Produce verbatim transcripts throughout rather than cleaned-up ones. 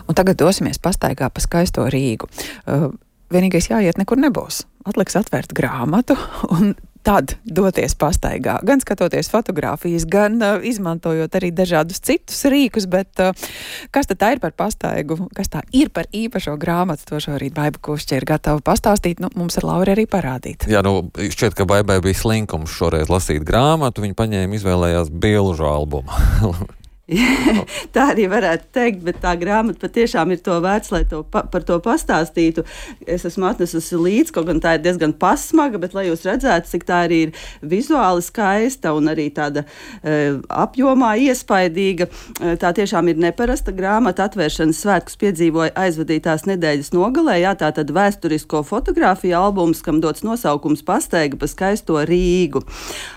Un tagad dosimies pastaigā pa skaisto Rīgu. Uh, vienīgais jāiet nekur nebūs. Atliks atvērt grāmatu un tad doties pastaigā. Gan skatoties fotogrāfijas, gan uh, izmantojot arī dažādus citus rīkus, bet uh, kas tad tā ir par pastaigu? Kas tā ir par īpašo grāmatu? To šorīt Baiba Kušķa ir gatava pastāstīt. Nu, mums ar Lauru arī parādīt. Jā, nu, šķiet, ka Baibai bija slinkums šoreiz lasīt grāmatu. Viņa paņēma, izvēlējās bilžu albumu. Tā arī varētu teikt, bet tā grāmata patiešām ir to vērts, lai to pa, par to pastāstītu. Es esmu atnesusi līdzi, kaut gan tā ir diezgan pasmaga, bet lai jūs redzētu, cik tā arī ir vizuāli skaista un arī tāda e, apjomā iespaidīga. E, tā tiešām ir neparasta grāmata. Atvēršanas svētkus piedzīvoja aizvadītās nedēļas nogalē. Jā, tā tad vēsturisko fotografiju albums, kam dots nosaukums Pastaiga pa skaisto Rīgu.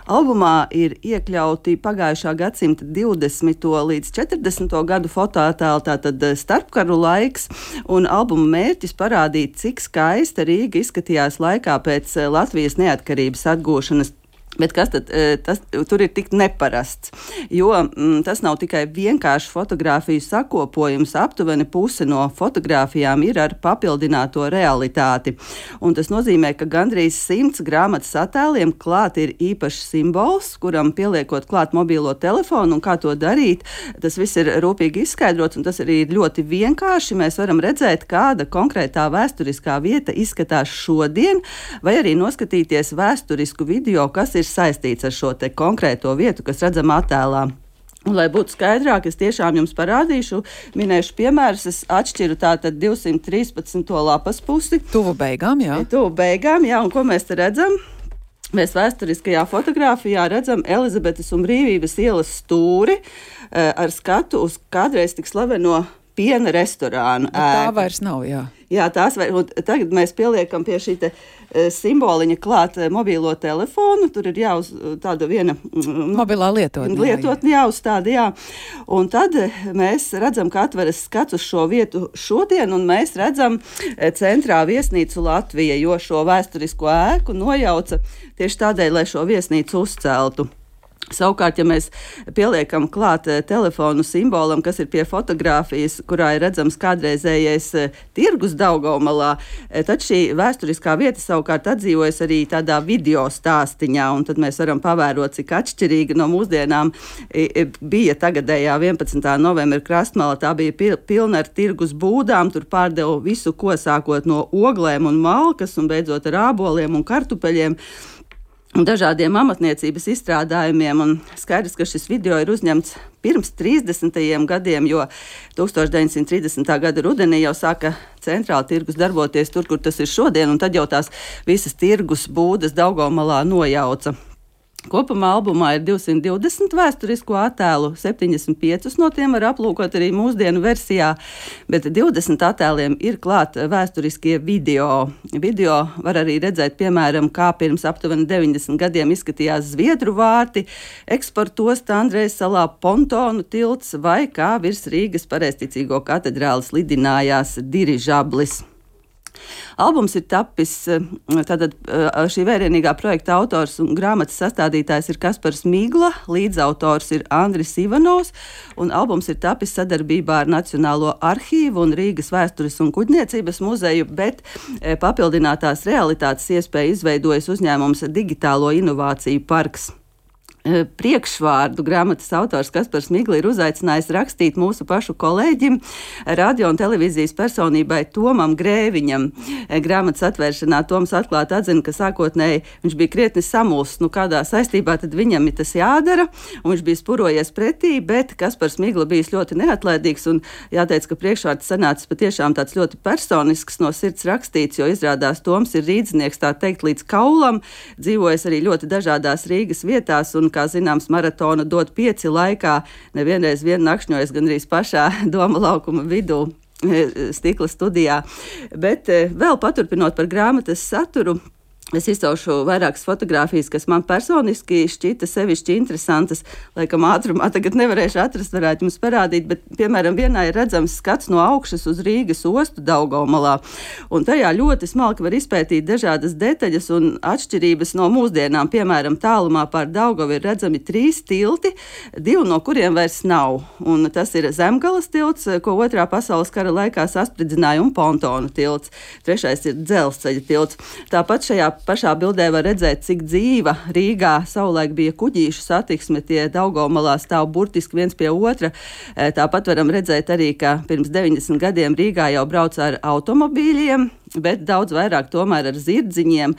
Albumā ir iekļauti pagājušā gadsimta divdesmito līdz četrdesmito gadu fotoattēli, tātad starpkaru laiks, un albuma mērķis parādīt, cik skaista Rīga izskatījās laikā pēc Latvijas neatkarības atgūšanas. Bet kas tad tas, tur ir tik neparasts? Jo m, tas nav tikai vienkārši fotogrāfiju sakopojums, aptuveni puse no fotogrāfijām ir ar papildināto realitāti. Un tas nozīmē, ka gandrīz simts grāmatas attēliem klāt ir īpašs simbols, kuram pieliekot klāt mobīlo telefonu, un kā to darīt, tas viss ir rūpīgi izskaidrots, un tas arī ir ļoti vienkārši. Mēs varam redzēt, kāda konkrētā vēsturiskā vieta izskatās šodien, vai arī noskatīties vēsturisku video, kas ir saistīts ar šo te konkrēto vietu, kas redzam attēlā. Un, lai būtu skaidrāk, es tiešām jums parādīšu, minēšu piemērus, es atšķiru tātad divsimt trīspadsmito lapas pusi. Tuvu beigām, jā. Tuvu beigām, jā, un ko mēs te redzam? Mēs vēsturiskajā fotogrāfijā redzam Elizabetes un Brīvības ielas stūri ar skatu uz kādreiz tik slaveno piena restorānu. Tā vairs nav, jā. Jā, tās vai, tagad mēs pieliekam pie šī te e, simboliņa klāt e, mobīlo telefonu. Tur ir jāuz tāda viena mobilā lietotne. Lietotne jāuzstāda, jā. Un tad mēs redzam, ka atveras skats uz šo vietu šodien, un mēs redzam e, centrā viesnīcu Latvija, jo šo vēsturisko ēku nojauca tieši tādēļ, lai šo viesnīcu uzceltu. Savukārt, ja mēs pieliekam klāt telefonu simbolam, kas ir pie fotogrāfijas, kurā ir redzams kādreizējais tirgus Daugavmalā, tad šī vēsturiskā vieta savukārt atdzīvojas arī tādā video stāstiņā, un tad mēs varam pavērot, cik atšķirīga no mūsdienām bija tagadējā vienpadsmitā novembra krastmala. Tā bija pilna ar tirgus būdām, tur pārdeva visu, ko sākot no oglēm un malkas, un beidzot ar āboliem un kartupeļiem, un dažādiem amatniecības izstrādājumiem, un skaidrs, ka šis video ir uzņemts pirms trīsdesmitajiem gadiem, jo tūkstoš deviņsimt trīsdesmitā gada rudenī jau sāka centrāla tirgus darboties tur, kur tas ir šodien, un tad jau tās visas tirgus būdas Daugavmalā nojauca. Kopumā albumā ir divsimt divdesmit vēsturisko attēlu, septiņdesmit pieci no tiem var aplūkot arī mūsdienu versijā, bet divdesmit attēliem ir klāt vēsturiskie video. Video var arī redzēt, piemēram, kā pirms aptuveni deviņdesmit gadiem izskatījās Zviedru vārti, eksportosta Andrejas salā pontonu tilts, vai kā virs Rīgas Pareizticīgo katedrāles lidinājās dirižablis. Albums ir tapis, tātad šī vērienīgā projekta autors un grāmatas sastādītājs ir Kaspars Migla, līdzautors ir Andris Ivanovs, un albums ir tapis sadarbībā ar Nacionālo arhīvu un Rīgas vēstures un kuģniecības muzeju, bet papildinātās realitātes iespēja izveidojas uzņēmums Digitālo inovāciju parks. Priekšvārdu grāmatas autors Kaspars Migla ir uzaicinājis rakstīt mūsu pašu kolēģim, radio un televīzijas personībai Tomam Grēviņam. Grāmatas atvēršanā Toms atklāti atzina, ka sākotnēji viņš bija krietni samulsts, nu kādā saistībā tad viņam ir tas jādara, un viņš bija spurojies pretī, bet Kaspars Migla bijis ļoti neatlaidīgs, un jāteic, ka priekšvārds sanācis patiešām tāds ļoti personisks, no sirds rakstīts, jo izrādās Toms ir rīdznieks, tā teikt, līdz kaulam, dzīvojas arī ļoti dažādās Rīgas vietās, un kā zināms, maratona dot pieci laikā, nevienreiz vien nakšņojas gandrīz pašā Doma laukuma vidū stikla studijā. Bet vēl paturpinot par grāmatas saturu, Es izcaušu vairākas fotogrāfijas, kas man personiski šķita sevišķi interesantas. Laikam ātrumā tagad nevarēšu atrast, varētu jums parādīt, bet, piemēram, vienā ir redzams skats no augšas uz Rīgas ostu Daugavmalā. Un tajā ļoti smalki var izpētīt dažādas detaļas un atšķirības no mūsdienām. Piemēram, tālumā pār Daugavu ir redzami trīs tilti, divi no kuriem vairs nav. Un tas ir Zemgalas tilts, ko otrā pasaules kara laikā saspridzināja, un Pontonu tilts. Trešais ir Dzelzceļa tilts. Tāpat šajā pašā bildē var redzēt, cik dzīva Rīgā savulaik bija kuģīšu satiksme, tie Daugavmalā stāv burtiski viens pie otra. Tāpat varam redzēt arī, ka pirms deviņdesmit gadiem Rīgā jau brauc ar automobīļiem, bet daudz vairāk tomēr ar zirdziņiem,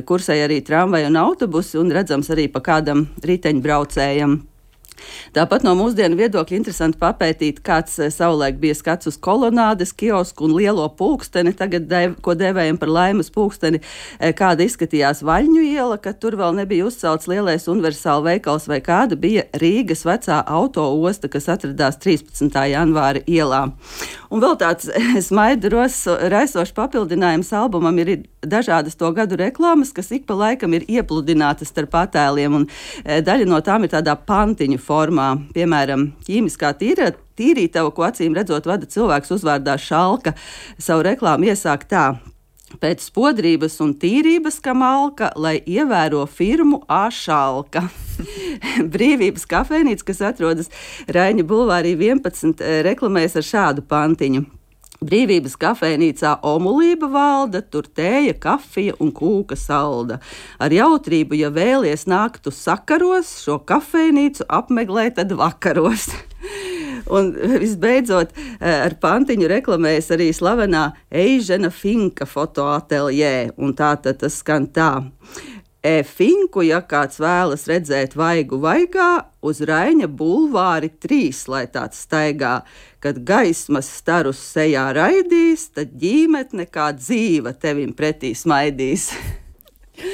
kursēja arī tramvaji un autobusi, un redzams arī pa kādam riteņbraucējam. Tāpat no mūsdienu viedokļa interesanti papētīt, kāds savulaik bija skats uz kolonādes, kiosku un lielo pulksteni, tagad, dev, ko devējam par Laimas pulksteni, kāda izskatījās Vaļņu iela, kad tur vēl nebija uzcelts lielais universāla veikals, vai kāda bija Rīgas vecā auto osta, kas atradās trīspadsmitā janvāra ielā. Un vēl tāds smaidu raisošs papildinājums albumam ir dažādas to gadu reklāmas, kas ik pa laikam ir iepludinātas starp attēliem, un daļa no tām ir tādā pantiņu formā. Piemēram, ķīmiskā tīra, tīrītava, ko acīm redzot vada cilvēks uzvārdā Šalka, savu reklāmu iesāk tā: pēc spodrības un tīrības, ka malka, lai ievēro firmu A. Šalka. Brīvības kafejnīca, kas atrodas Raiņa bulvārī vienpadsmit, reklamējas ar šādu pantiņu: Brīvības kafejnīcā omulība valda, tur tēja, kafija un kūka salda. Ar jautrību, ja vēlies nākt uz sakaros, šo kafejnīcu apmeklē tad vakaros. Un visbeidzot, ar pantiņu reklamējas arī slavenā Eižena Finka fotoateljē, un tā tad tas skan tā: E Finku, ja kāds vēlas redzēt vaigu vaigā, uz Raiņa bulvāri trīs, lai tāds staigā. Kad gaismas starus sejā raidīs, tad ģīmetne kā dzīva tevim pretī smaidīs.